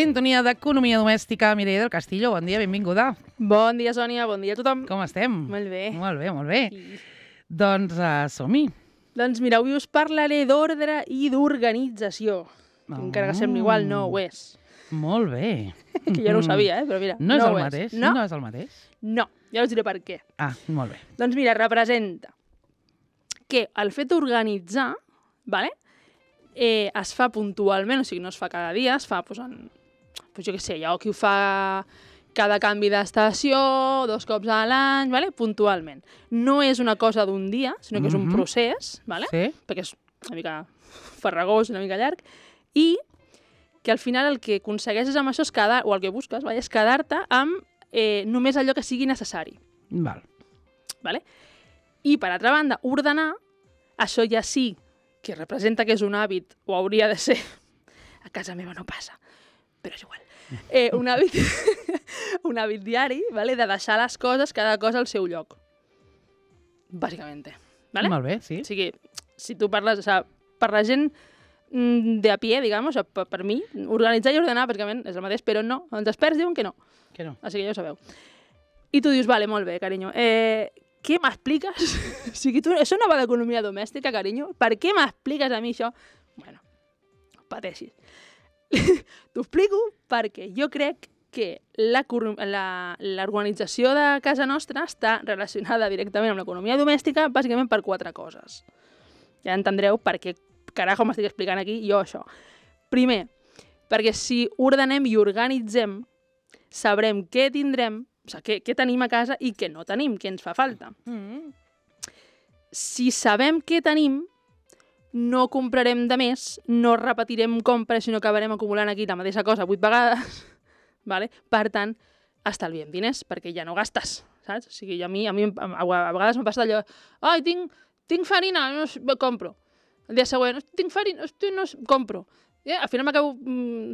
Sintonia d'Economia Domèstica. Mireia del Castillo, bon dia, benvinguda. Bon dia, Sònia, bon dia a tothom. Com estem? Molt bé. Molt bé, molt bé. Doncs som-hi. Doncs mira, avui us parlaré d'ordre i d'organització. Encara que sembli igual, no ho és. Molt bé. Que jo no ho sabia, però mira, no és no el ho és. mateix? No? No és el mateix? No, ja us diré per què. Ah, molt bé. Doncs mira, representa que el fet d'organitzar, vale? Es fa puntualment, o sigui, no es fa cada dia, es fa, doncs, jo què sé, hi ha qui ho fa cada canvi d'estació, 2 cops a l'any, vale? Puntualment. No és una cosa d'un dia, sinó que és un procés, vale? Sí. Perquè és una mica farragós, una mica llarg, i que al final el que aconsegueixes amb això és quedar, o el que busques, és quedar-te amb només allò que sigui necessari. Val. Vale? I, per altra banda, ordenar, això ja sí que representa que és un hàbit, o hauria de ser, a casa meva no passa, però és igual, un hàbit diari, vale? De deixar les coses, cada cosa al seu lloc. Bàsicament. Vale? Molt bé, sí. O sigui, si tu parles, o sigui, per la gent de a pie, diguem, o sigui, per mi, organitzar i ordenar, pràcticament és el mateix, però no, els experts diuen que no. Que no. Així que ja ho sabeu. I tu dius, vale, molt bé, carinyo, què m'expliques? O sigui, això no va d'economia domèstica, carinyo? Per què m'expliques a mi això? Bueno, pateixis. T'ho explico perquè jo crec que l'organització de casa nostra està relacionada directament amb l'economia domèstica bàsicament per 4 coses. Ja entendreu per què carajo m'estic explicant aquí jo això. Primer, perquè si ordenem i organitzem, sabrem què tindrem, o sigui, què tenim a casa i què no tenim, què ens fa falta. Si sabem què tenim, no comprarem de més, no repetirem compres, sinó que acabarem acumulant aquí la mateixa cosa 8 vegades. Vale? Per tant, estalviem diners, perquè ja no gastes, saps? O sigui, a mi a vegades m'ha passat allò, ai, tinc farina, no compro. El dia següent, tinc farina, no compro. Al final m'acabo,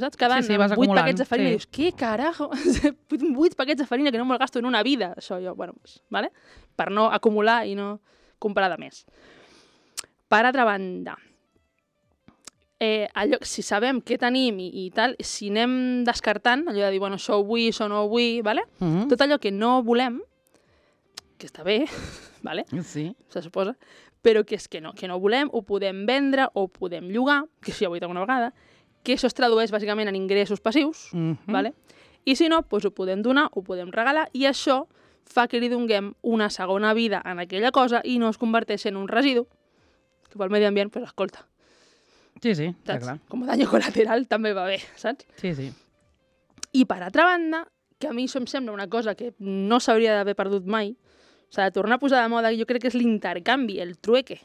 saps, quedant amb 8 paquets de farina. I dius, què carajo? 8 paquets de farina que no me'l gasto en una vida. Això jo, bueno, pues, vale? Per no acumular i no comprar de més. Per altra banda, si sabem què tenim i tal, si anem descartant, allò de dir, bueno, això ho vull, això no ho vull, vale? Tot allò que no volem, que està bé, vale? Sí. Se suposa, però que és que no volem, ho podem vendre o podem llogar, que això ja ho he dit alguna vegada, que això es tradueix bàsicament en ingressos passius, vale? I si no, doncs ho podem donar, ho podem regalar, i això fa que li donguem una segona vida en aquella cosa i no es converteix en un residu, que pel medi ambient, doncs escolta. Sí, està clar. Com a dany col·lateral també va bé, saps? Sí. I per altra banda, que a mi això em sembla una cosa que no s'hauria d'haver perdut mai, s'ha de tornar a posar de moda, jo crec que és l'intercanvi, el trueque.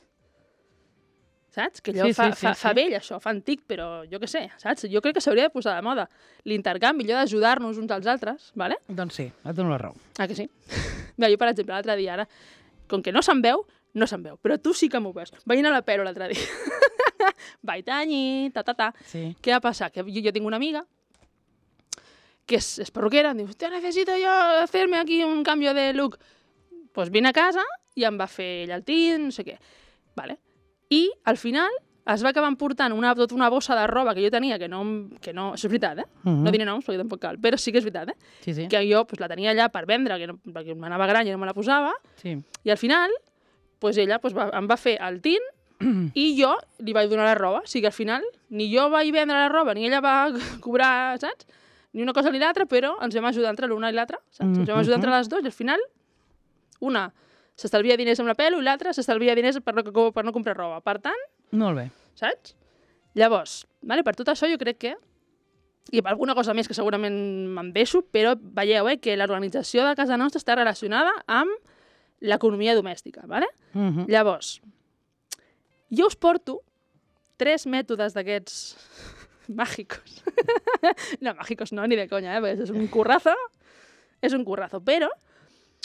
Saps? Que allò fa vell, això, fa antic, però jo què sé, saps? Jo crec que s'hauria de posar de moda l'intercanvi, allò d'ajudar-nos uns als altres, vale? Doncs sí, et dono la raó. Ah, que sí? Mira, jo, per exemple, l'altre dia, ara, com que no se'n veu, però tu sí que m'ho veus. Vaig anar a la Pero l'altre dia. Vaig tanyir, Sí. Què va passar? Que jo tinc una amiga que és perruquera, em diu, hòstia, necesito yo hacerme aquí un cambio de look. Pues vine a casa i em va fer ell el tint, no sé què. Vale. I al final es va acabar emportant tota una bossa de roba que jo tenia, que no això és veritat, no diré noms perquè tampoc cal, però sí que és veritat, Sí. Que jo pues, la tenia allà per vendre, perquè m'anava gran i no me la posava, Sí. i al final pues, ella pues, em va fer el tint i jo li vaig donar la roba. O sigui que al final ni jo vaig vendre la roba, ni ella va cobrar, saps? Ni una cosa ni l'altra, però ens vam ajudar entre l'una i l'altra, saps? Ens vam ajudar entre les dues i al final una s'estalvia diners amb la pelo i l'altra s'estalvia diners per no comprar roba. Per tant, molt bé. saps? Llavors, vale, per tot això jo crec que, i per alguna cosa més que segurament me'n deixo, però veieu que l'organització de casa nostra està relacionada amb l'economia domèstica, vale? Llavors, jo us porto 3 mètodes d'aquests màgicos. No, màgicos no, ni de conya, perquè és un currazo, però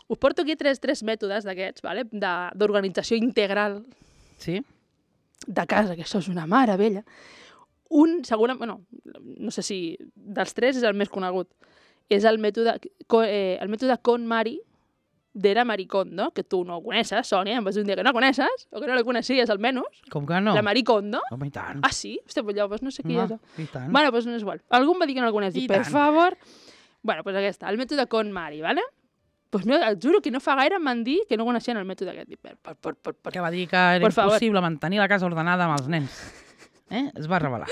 us porto aquí 3 mètodes d'aquests, vale? D'organització integral de casa, que això és una meravella. Un, segurament, bueno, no sé si dels 3 és el més conegut, és el mètode KonMari, d'Era Maricondo, que tu no ho coneixes, Sònia, em vas dir un dia que no coneixes, o que no la coneixies almenys. Com que no? La Maricondo. Home, i tant. Ah, sí? Hòstia, pues llavors no sé qui és. I tant. Bueno, pues no és igual. Algú em va dir que no la coneix. I Per tant. favor. Bueno, pues aquesta, el mètode KonMari, ¿vale? Pues no, et juro que no fa gaire em van dir que no coneixien el mètode aquest. Que va dir que era Por favor. impossible mantenir la casa ordenada amb els nens. Es va revelar.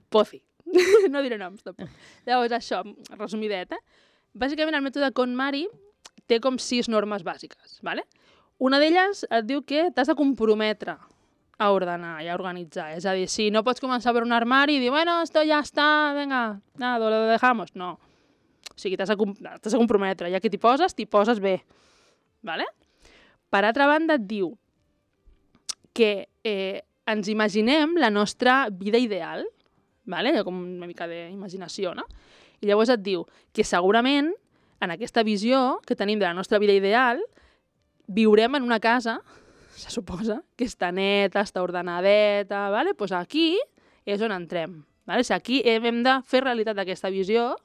Pozi. No diré noms, tampoc. Llavors, això, resumidet, Bàsicament, el mètode KonMari té com 6 normes bàsiques, ¿vale? Una d'elles et diu que t'has de comprometre a ordenar i a organitzar. És a dir, si no pots començar per un armari i dir, bueno, esto ya está, venga, nada, lo dejamos. No. O sigui, t'has de comprometre. Ja que t'hi poses bé. ¿Vale? Per altra banda, et diu que ens imaginem la nostra vida ideal, ¿vale? Com una mica d'imaginació, no? I llavors et diu que segurament en aquesta visió que tenim de la nostra vida ideal viurem en una casa, se suposa, que està neta, està ordenadeta, ¿vale? Pues aquí és on entrem. ¿Vale? O sigui, aquí hem de fer realitat aquesta visió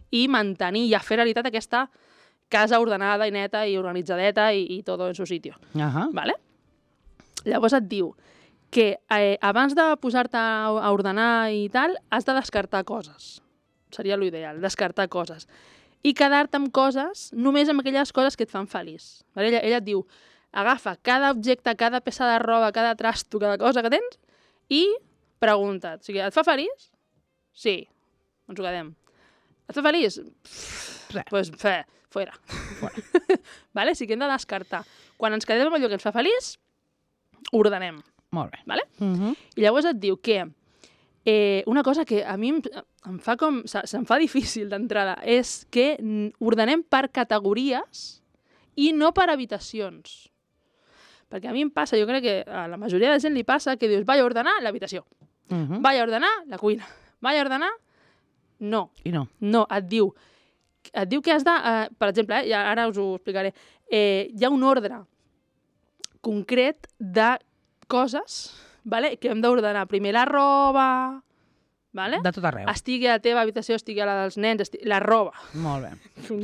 i mantenir i fer realitat aquesta casa ordenada i neta i organitzadeta i tot en su sitio. ¿Vale? Llavors et diu que abans de posar-te a ordenar i tal, has de descartar coses. Seria l'ideal, descartar coses. I quedar-te amb coses, només amb aquelles coses que et fan feliç. Vale? Ella et diu, agafa cada objecte, cada peça de roba, cada trasto, cada cosa que tens i pregunta't. O sigui, et fa feliç? Sí. Ens ho quedem. Et fa feliç? Pues fora. Vale? O sigui, hem de descartar. Quan ens quedem amb allò que ens fa feliç, ordenem. Molt bé. Vale? I llavors et diu que una cosa que a mi se'm fa difícil d'entrada és que ordenem per categories i no per habitacions. Perquè a mi em passa, jo crec que a la majoria de gent li passa que dius, vaig a ordenar l'habitació, vaig a ordenar la cuina, vaig a ordenar... No. I no. No, et diu que has de... per exemple, ara us ho explicaré, hi ha un ordre concret de coses, vale? Que hem d'ordenar primer la roba, vale? De tot arreu. Estigui a la teva habitació, estigui a la dels nens, la roba. Molt bé.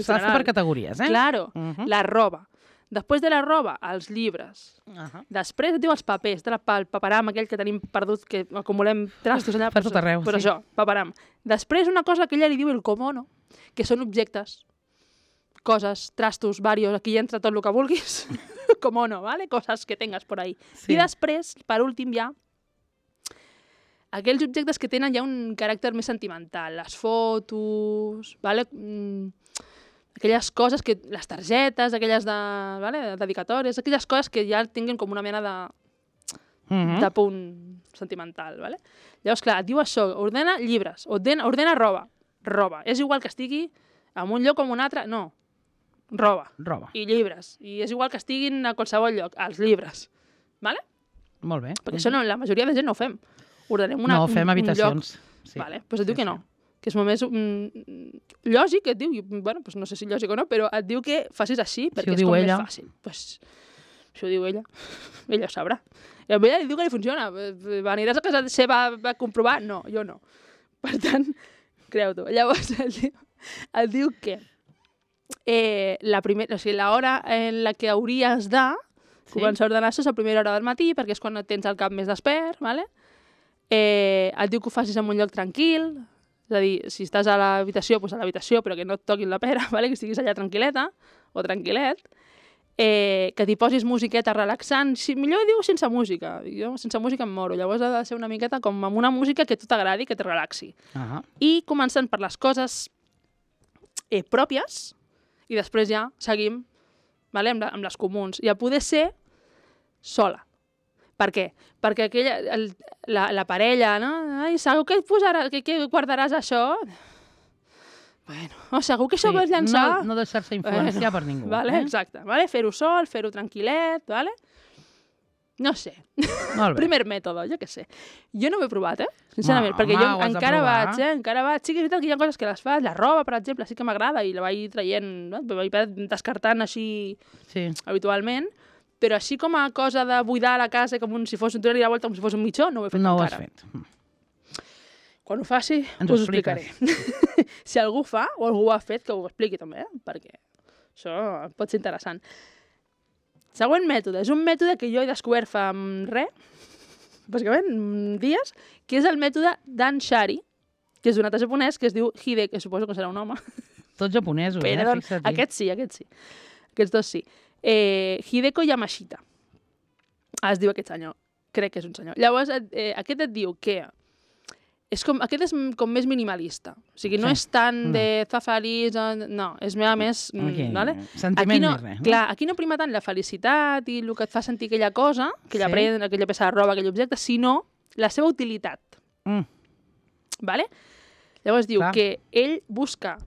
S'ha de fer per categories, Claro, la roba. Després de la roba, els llibres. Després et diu els papers, el paperam aquell que tenim perdut, que acumulem trastos allà. Per tot arreu, Però això, paperam. Després una cosa que ella li diu el komono, que són objectes, coses, trastos, varios, aquí entra tot el que vulguis. Komono, ¿vale? Coses que tengas por ahí. Sí. I després, per últim, hi ha aquells objectes que tenen ja un caràcter més sentimental. Les fotos, ¿vale? Aquelles coses, les targetes, aquelles ¿vale? Dedicatòries, aquelles coses que ja tinguin com una mena de punt sentimental. ¿Vale? Llavors, clar, et diu això, ordena llibres, ordena roba. És igual que estigui en un lloc o en un altre, no. Roba. I llibres. I és igual que estiguin a qualsevol lloc, els llibres. Vale? Molt bé. Perquè això la majoria de gent no ho fem. Ordenem un lloc. No, fem habitacions. Sí. Vale? Pues et diu que no. Que és molt més lògic, et diu, bueno, pues no sé si lògic o no, però et diu que facis així, perquè és com més fàcil. Pues, si ho diu ella, ella ho sabrà. I a ella li diu que li funciona. Aniràs a casa seva a comprovar? No, jo no. Per tant, creu-t'ho. Llavors, et diu que l'hora en la que hauries de començar a ordenar això és a primera hora del matí, perquè és quan tens el cap més despert, ¿vale? Et diu que ho facis en un lloc tranquil, és a dir, si estàs a l'habitació, doncs a l'habitació, però que no et toquin la pera, ¿vale? Que estiguis allà tranquil·leta o tranquil·let, que t'hi posis musiqueta relaxant, millor diu sense música, jo sense música em moro, llavors ha de ser una miqueta com amb una música que a tu t'agradi, que et relaxi. I començant per les coses pròpies, i després ja seguim, vale? amb les comuns. I a poder ser sola. Per què? Perquè la parella, no? Ai, segur que guardaràs això? Bueno, segur que això ho vols llançar? No deixar-se influenciar per ningú. Vale, exacte. Vale? Fer-ho sol, fer-ho tranquil·let, vale? No sé. Primer mètode, jo què sé. Jo no ho he provat, sincerament, perquè jo encara vaig. Sí que és veritat que hi ha coses que les fas, la roba, per exemple, sí que m'agrada i la vaig traient, vaig descartant així habitualment, però així com a cosa de buidar la casa com si fos donar-li la volta com si fos un mitjó, no ho he fet encara. No ho has fet. Quan ho faci, us ho explicaré. Si algú fa o algú ho ha fet, que ho expliqui també, perquè Això pot ser interessant. Següent mètode. És un mètode que jo he descobert fa bàsicament, dies, que és el mètode d'Anshari, que és d'un altre japonès que es diu Hide, que suposo que serà un home. Tots japonesos, fixa't. Aquest sí. Aquests dos sí. Hideko Yamashita. Es diu aquest senyor. Crec que és un senyor. Llavors, aquest et diu que aquest és com més minimalista. O sigui, no és tant de zafaris, no, és més... Vale? Sentiment més res. Clar, aquí no prima tant la felicitat i el que et fa sentir aquella cosa, aquella prenda, aquella peça de roba, aquell objecte, sinó la seva utilitat. Vale? Llavors diu que ell busca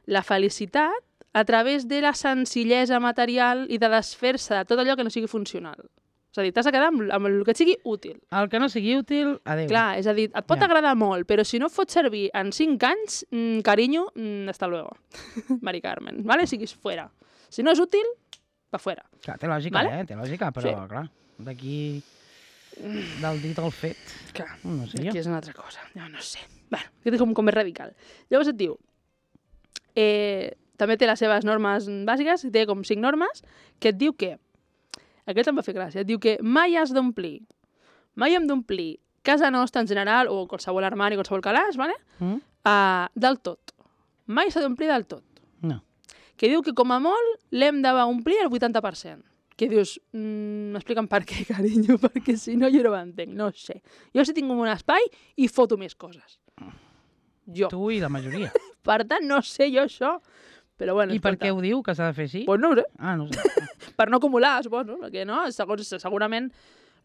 la felicitat a través de la senzillesa material i de desfer-se de tot allò que no sigui funcional. És a dir, t'has de quedar amb el que et sigui útil. El que no sigui útil, adéu. Clar, és a dir, et pot agradar molt, però si no et fot servir en 5 anys, carinyo, hasta luego. Mari Carmen, ¿vale? Siguis fuera. Si no és útil, pa fuera. Clar, té lògica, ¿vale? Té lògica, però, clar, d'aquí del dit al fet, clar, no sé jo. Aquí és una altra cosa, no sé. Bueno, aquest és com més radical. Llavors et diu, també té les seves normes bàsiques, té com 5 normes, que et diu que aquest em va fer gràcia. Et diu que mai has d'omplir, mai hem d'omplir casa nostra en general, o qualsevol armari, qualsevol calaix, ¿vale? Del tot. Mai s'ha d'omplir del tot. No. Que diu que com a molt l'hem d'omplir el 80%. Que dius, m'expliquen per què, carinyo, perquè si no jo no ho entenc, no sé. Jo si tinc un espai i foto més coses. Jo. Tu i la majoria. Per tant, no sé jo això. Però bueno, I per què ho diu, que s'ha de fer així? Pues no ho sé. Ah, no ho sé. Per no acumular, suposo, perquè no, segurament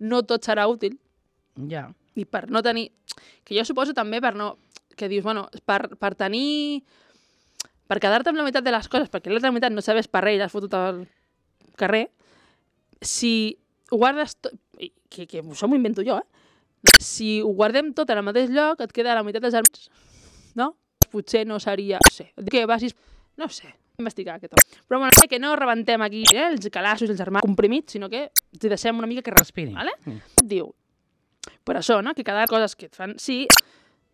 no tot serà útil. Ja. I per no tenir... Que jo suposo també per no... Que dius, bueno, per tenir... Per quedar-te amb la meitat de les coses, perquè l'altra meitat no serveix per res i l'has fotut al carrer, si ho guardes tot... Que això m'ho invento jo, Si ho guardem tot en el mateix lloc, et queda la meitat dels armaris, no? Potser no seria... No sé, que vagis... No sé, investigar aquest home. Però bueno, que no rebentem aquí els calassos i els armaris comprimits, sinó que ens deixem una mica que respirin, ¿vale? Diu, per això, no? Que cada coses que et fan... Sí,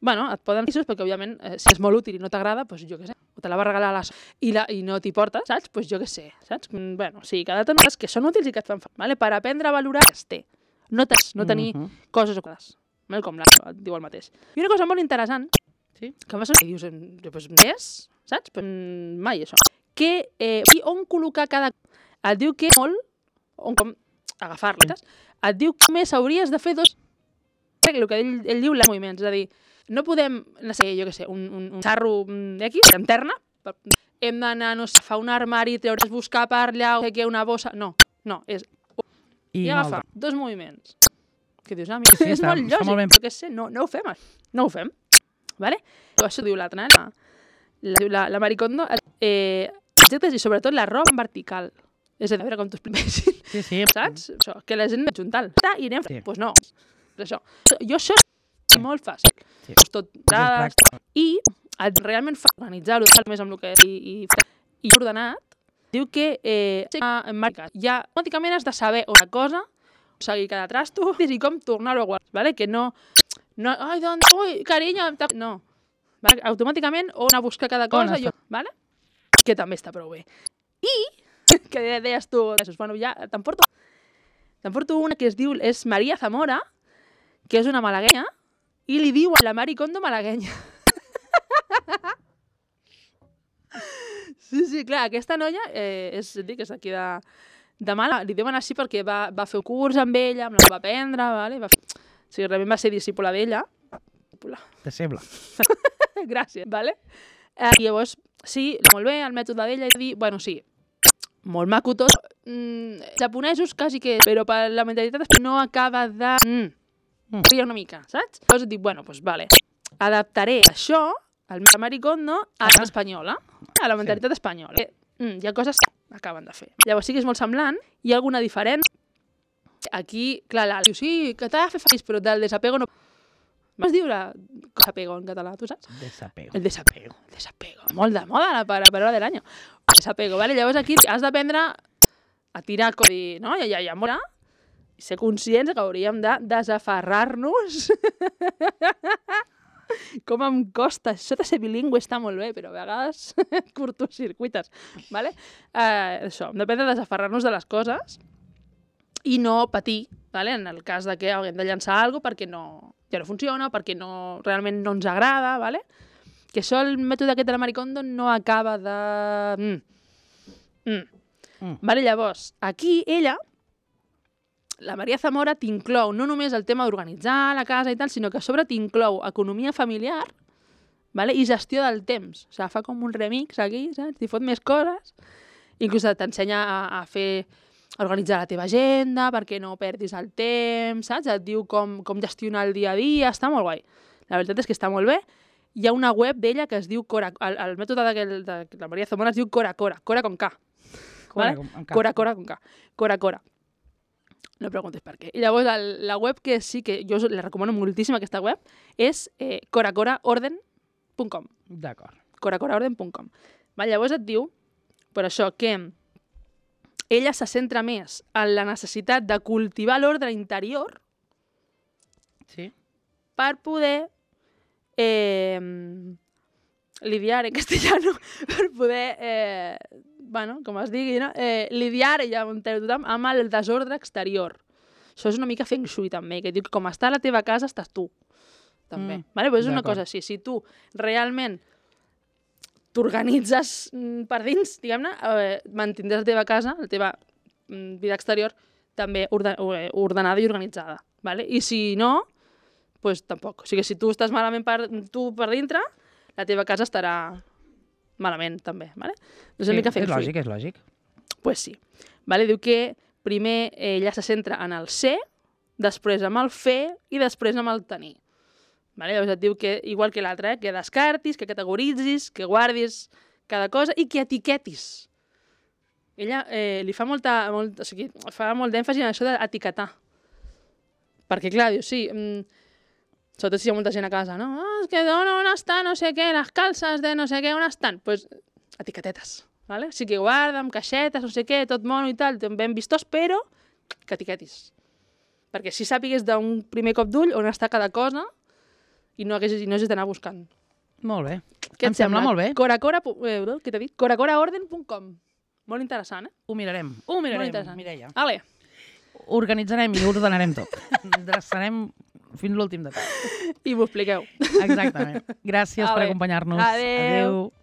bueno, et poden dir perquè òbviament, si és molt útil i no t'agrada, doncs jo què sé, o te la va regalar i no t'hi portes, saps? Doncs jo què sé, saps? Bueno, sí, cada tant coses que són útils i que et fan, ¿vale? Per aprendre a valorar, no tenir coses o coses, com l'altre, et diu el mateix. I una cosa molt interessant, que m'ha sortit, i dius, doncs és... Saps? Mai, això. Que on col·locar cada... Et diu que molt, com agafar-les, et diu que només hauries de fer dos... El que ell diu, els moviments. És a dir, no podem, no sé, jo què sé, un xarro X, interna, hem d'anar, no sé, agafar un armari, treure's, buscar per allà, o fer una bossa... No, és... I agafar dos moviments. Que dius, mira, és molt lògic, però què sé, no ho fem, no ho fem. Vale? Això diu l'altra, la Maricondo, objectes i sobretot la roba en vertical. És a dir, a veure com t'ho expliquessin. Sí. Saps? Això, que la gent juntal. I anem... Doncs no. Això. Jo això és molt fàcil. Tot dades. I realment fa organitzar-ho més amb el que i ordenat, diu que en marca ja automàticament has de saber una cosa, seguir cada trasto i com tornar-ho a guardar. Vale? Que no... Ai, doncs... Ui, carinyo... No. Automàticament o anar a buscar cada cosa, vale? Que també està prou bé. I, que deies tu, bueno, ja te'n porto una que es diu, és Maria Zamora, que és una malaguenya, i li diu a la Maricondo malaguenya. Sí, clar, aquesta noia és d'aquí de Mala, li diuen així perquè va fer un curs amb ella, la va aprendre, vale? O sigui, realment va ser discípula d'ella. Deixeble. Gràcies, vale? I llavors, sí, molt bé, el mètode d'ella, i dir, bueno, sí, molt maco tot, japonesos quasi que... Però per la mentalitat no acaba de... Ria una mica, saps? Llavors et dic, bueno, doncs vale, adaptaré això, el Maricondo, a l'espanyola, a la mentalitat espanyola. Hi ha coses que acaben de fer. Llavors sí que és molt semblant, hi ha alguna diferent. Aquí, clar, diu, sí, que t'ha de fer feliç, però del desapego no... Vas dir desapego en català, tu saps? Desapego. El desapego. Molt de moda la paraula de l'any. Desapego, vale? Llavors aquí has d'aprendre a tirar com dir, no? Ja mora. I ser conscients que hauríem de desaferrar-nos Com em costa. Això de ser bilingüe està molt bé, però a vegades curtocircuites. ¿Vale? Això, depèn de desaferrar-nos de les coses i no patir, ¿vale? En el cas de que haguem de llançar alguna cosa perquè ja no funciona, perquè realment no ens agrada, ¿vale? Que això, el mètode aquest de la Marie Kondo no acaba de... Vale, llavors, aquí ella, la Maria Zamora, t'inclou no només el tema d'organitzar la casa i tal, sinó que a sobre t'inclou economia familiar, vale? I gestió del temps. O sigui, fa com un remix aquí, saps? T'hi fot més coses. Inclús t'ensenya a organitzar la teva agenda perquè no perdis el temps, saps? Et diu com gestionar el dia a dia, està molt guai. La veritat és que està molt bé. Hi ha una web d'ella que es diu Cora... El mètode de la Maria Zamora es diu Cora Cora, Cora con K. ¿Vale? Cora Cora con K. Cora Cora. No preguntes per què. I llavors la web que sí que jo la recomano moltíssim, aquesta web, és coracoraorden.com. D'acord. coracoraorden.com. Llavors et diu, per això, que ella se centra més en la necessitat de cultivar l'ordre interior Sí. per poder lidiar en castellano, per poder, bueno, com es digui, no? Lidiar, ja ho entén tothom, amb el desordre exterior. Això és una mica feng shui, també, que diu que com està la teva casa, estàs tu, també. Vale? Però és una cosa així, si tu realment t'organitzes per dins, diguem-ne, mantindràs la teva casa, la teva vida exterior, també ordenada i organitzada. Vale? I si no, doncs tampoc. O sigui, si tu estàs malament per dintre, la teva casa estarà malament, també. Vale? És una mica feng shui. És lògic. Pues sí. Vale? Diu que primer ella se centra en el ser, després en el fer i després en el tenir. Vale? Llavors et diu que, igual que l'altre, que descartis, que categoritzis, que guardis cada cosa i que etiquetis. Ella li fa o sigui, fa molt d'èmfasi en això d'etiquetar. Perquè, clar, diu, sí, sobretot si hi ha molta gent a casa, no? És que on està no sé què, les calces de no sé què, on estan? Doncs etiquetetes, ¿vale? Sí que guarda amb caixetes, no sé què, tot mono i tal, ben vistós, però que etiquetis. Perquè si sàpigues d'un primer cop d'ull on està cada cosa i no hagis d'anar buscant. Molt bé. Què em sembla molt bé. Què t'he dit? coracoraorden.com. Molt interessant, eh? Ho mirarem, Molt interessant. Mireia. Ale. Organitzarem i ordenarem tot. Dreçarem fins l'últim detall. I m'ho expliqueu. Exactament. Gràcies per acompanyar-nos. Adéu.